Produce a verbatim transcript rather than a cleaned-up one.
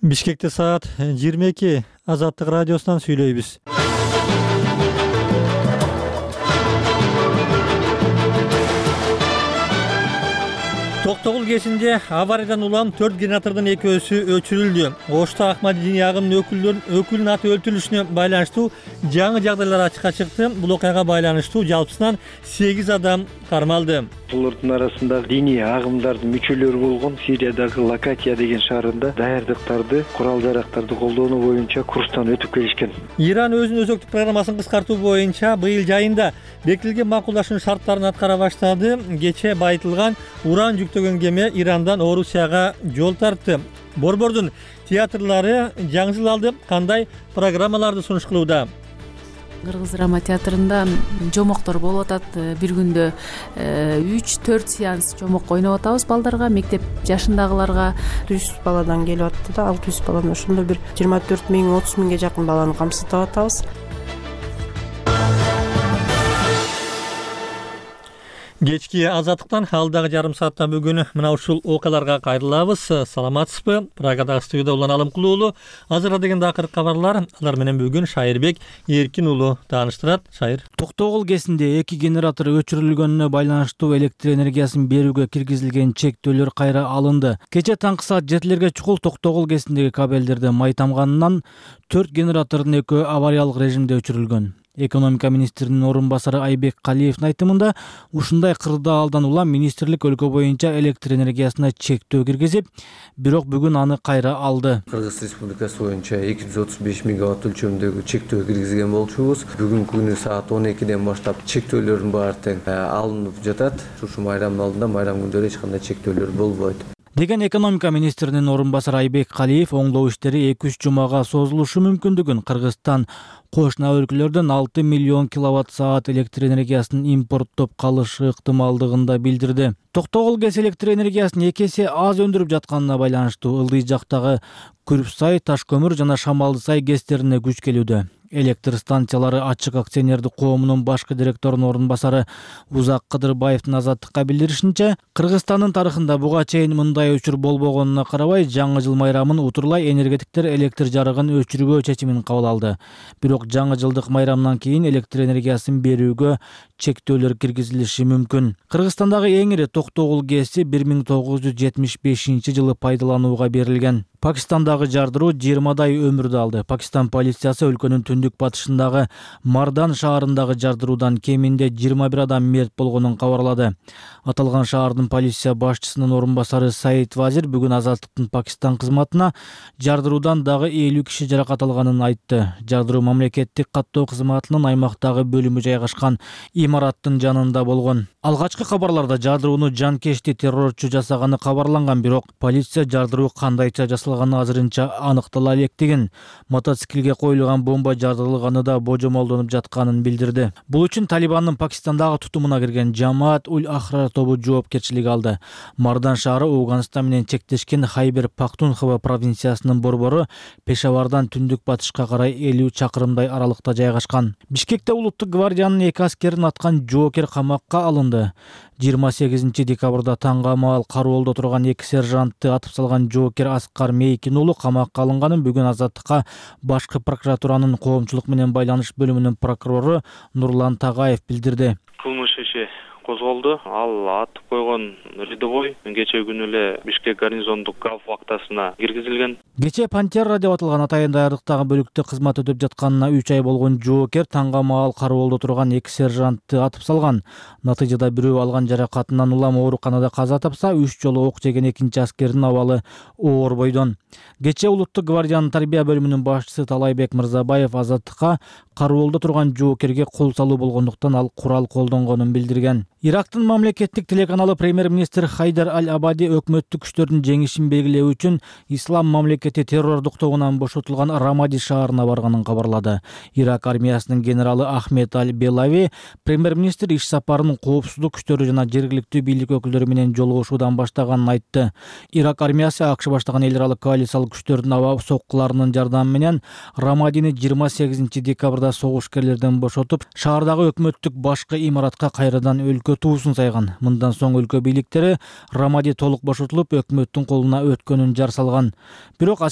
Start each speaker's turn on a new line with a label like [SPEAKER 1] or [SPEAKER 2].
[SPEAKER 1] Бишкекте саат жыйырма эки. Азаттык радиосунан сүйлөйбүз. Токтогул КЭСинде авариядан улам төрт генератордун экөөсү өчүрүлдү. Ошто Акмади диний агымынын өкүлдөрүнүн өкүлүнүн аты өлтүрүлүшүнө байланыштуу жаңы жагдайлар ачыкка чыкты. Бул окуяга байланыштуу жалпысынан сегиз адам кармалды.
[SPEAKER 2] Булардын арасында диний агымдардын мүчөлөрү болгон Сириядагы Лакатия деген шаарында даярдыктарды, курал жарактарды колдонуу боюнча курстан өтүп келишкен.
[SPEAKER 1] Иран өзүнүн өзөктүк программасын кыскартуу боюнча быйыл жайында бекитилген макулдашуу шарттарын аткара баштады. Кечээ байытылган уран жүктөгөн кеме Ирандан Орусияга жол тартты. Борбордун театрлары жаңы жыл алды кандай программаларды сунуш кылууда?
[SPEAKER 3] Кыргыз драма театрында жомоктор болуп атат. Бир күндө үч төрт сеанс жомок ойноп атабыз балдарга, мектеп жашындагыларга.
[SPEAKER 4] жүз баладан келип атты да, алты жүз баладан ошондо бир жыйырма төрт миң отуз миңге жакын баланы камсыздап атабыз.
[SPEAKER 1] Кечки азаттыктан алдагы жарым саатта бүгүн мына ушул окуяларга кайрылабыз. Саламатсызбы? Прагадагы студияда Улан Алымкул уулу. Азыркы дегенде акыркы кабарлар. Алар менен бүгүн Шайырбек Эркин уулу тааныштырат. Шайыр.
[SPEAKER 5] Токтогул КЭСинде эки генератор өчүрүлгөнүнө байланыштуу электр энергиясын берүүгө киргизилген чектөөлөр кайра алынды. Кечээ таңкы саат жетилерге чукул Токтогул КЭСиндеги кабелдерде май тамганынан төрт генератордун экөө авариялык режимде өчүрүлгөн. Экономика министринин орун басары Айбек Калиевдин айтымында, ушундай кырдаалдан улам министрлик өлкө боюнча электр энергиясына чектөө киргизип, бирок бүгүн аны кайра алды.
[SPEAKER 6] Кыргыз Республикасы боюнча эки жүз отуз беш мегаватт өлчөмүндөгү чектөө киргизген болчубуз. Бүгүнкү күнү саат он экиден баштап чектөөлөрдүн баары тең алынып жатат. Ушу майрамдын алдында майрам күндөрү эч кандай чектөөлөр болбойт
[SPEAKER 5] деген экономика министринин орун басары Айбек Калиев оңдоо иштери эки үч жумага созулушу мүмкүндүгүн, Кыргызстан кошуна өлкөлөрдөн алты миллион киловатт саат электр энергиясын импорттоп калышы ыктымалдыгын да билдирди. Токтогул КЭС электр энергиясын эки эсе аз өндүрүп жатканына байланыштуу Ылдый жактагы Күрүпсай, Ташкөмүр жана Шамалдысай КЭСтерине күч келүүдө. Электр станциялары ачык акционердик коомунун башкы директорунун орун басары Узак Кыдырбаевдин Азаттыкка билдиришинче, Кыргызстандын тарыхында буга чейин мындай өчүр болбогонуна карабай, жаңы жыл майрамын утурлай энергетиктер электр жарыгын өчүрбөө чечимин кабыл алды. Бирок жаңы жылдык майрамдан кийин электр энергиясын берүүгө чектөөлөр киргизилиши мүмкүн. Кыргызстандагы эң ири Токтогул КЭСи бир миң тогуз жүз жетимиш бешинчи жылы пайдаланууга берилген. Пакистандагы жардыруу жыйырмадай өмүрдү алды. Пакистан полициясы өлкөнүн түндүк батышындагы Мардан шаарындагы жардыруудан кеминде жыйырма бир адам мерт болгонун кабарлады. Аталган шаардын полиция башчысынын орун басары Саид Вазир бүгүн Азаттыктын Пакистан кызматына жардыруудан дагы элүү киши жаракат алганын айтты. Жардыруу мамлекеттик каттоо кызматынын аймактагы бөлүмү жайгашкан имараттын жанында болгон. Алгачкы кабарларда жардырууну жанкечти террорчу жасаганы кабарланган, бирок полиция жардыруу кандайча жасалганы азырынча аныктала электигин, мотоциклге коюлган бомба жардырылганы да божомолдонуп жатканын билдирди. Бул үчүн Талибандын Пакистандагы тутумуна кирген Жамаат уль Ахрар тобу жоопкерчилик алды. Мардан шаары Ооганстан менен чектешкен Хайбер Пахтунхва провинциясынын борбору Пешавардан түндүк батышка карай элүү чакырымдай аралыкта жайгашкан. Бишкекте улуттук гвардиянын эки аскерин аткан жоокер камакка алынды. жыйырма сегизинчи декабрда таңга маал кароолдо турган эки сержантты атып салган жоокер Аскар Мейкин уулу камакка алынганын бүгүн Азаттыкка башкы прокуратуранын коомчулук менен байланыш бөлүмүнүн прокурору Нурлан Тагаев билдирди.
[SPEAKER 7] Кылмыш иши козголду. Ал атып койгон рядовой кечээ күнү эле Бишкек гарнизондук гав вактасына киргизилген.
[SPEAKER 5] Кечээ Пантера деп аталган атайын даярдыктагы бөлүктө кызмат өтөп жатканына үч ай болгон жоокер таңга маал кароолдо турган эки сержантты атып салган. Натыйжада бирөө алган жаракатынан улам ооруканада каза тапса, үч жолу ок жеген экинчи аскердин абалы оор бойдон. Кечээ улуттук гвардиянын тарбия бөлүмүнүн башчысы Талайбек Мырзабаев Азаттыкка кароолдо турган жоокерге кол салуу болгондуктан ал курал колдонгонун билдирген. Ирактын мамлекеттик телеканалы премьер-министр Хайдар Аль-Абади өкмөттүк күчтөрдүн жеңишин белгилөө үчүн Ислам мамлекети террордук тобунан бошотулган Рамади шаарына барганын кабарлады. Ирак армиясынын генералы Ахмед Аль-Белави премьер-министр иш сапарын коопсуздук күчтөрү жана жергиликтүү бийлик өкүлдөрү менен жолугушуудан баштаганын айтты. Ирак армиясы АКШ баштаган эл аралык коалициялык күчтөрдүн аба соккуларынын жардамы менен Рамадини жыйырма сегизинчи декабрда согушкерлерден бошотуп, шаардагы өкмөттүк башкы имаратка кайрадан өлкө туусун сайган. Мындан соң өлкө бийликтери Рамади толук бошотулуп, өкмөттүн колуна өткөнүн жар салган. Бирок